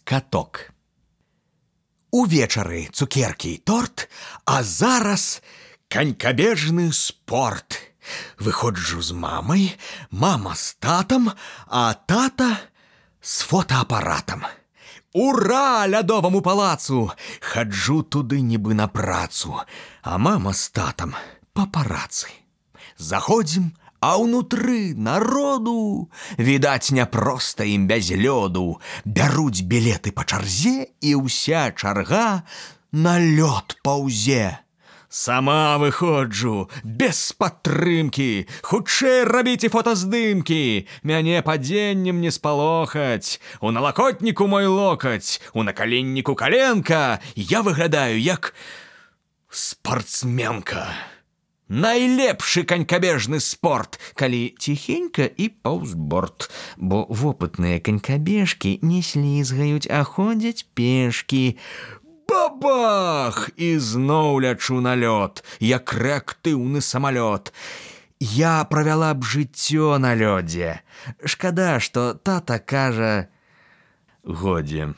каток. Увечары цукеркі і торт, а зараз канькабежны спорт. Выходжу з мамай, мама з татам, а тата з фотоапаратам. Ура лядоваму палацу! Хаджу туды нібы на працу, а мама з татам папарацы. Заходзім, а ўнутры народу, відаць, няпроста ім без лёду. Бяруць білеты па чарзе, і ўся чарга на лёд паўзе. Сама выходжу, без падтрымкі, хутчэй рабіце фотаздымкі. Мяне падзеннем не спалохаць. У налакотніку мой локаць, у накаленніку каленка. Я выглядаю як спартсменка. Найлепшы канькабежны спорт, калі ціхенька і паўзборд. Бо вопытныя канькабежкі не слізгаюць, а ходзяць пешкі. Бабах! І зноў лячу на лёд, як рэактыўны самалёт. Я правяла б жыццё на лёдзе. Шкада, што тата кажа: годзе.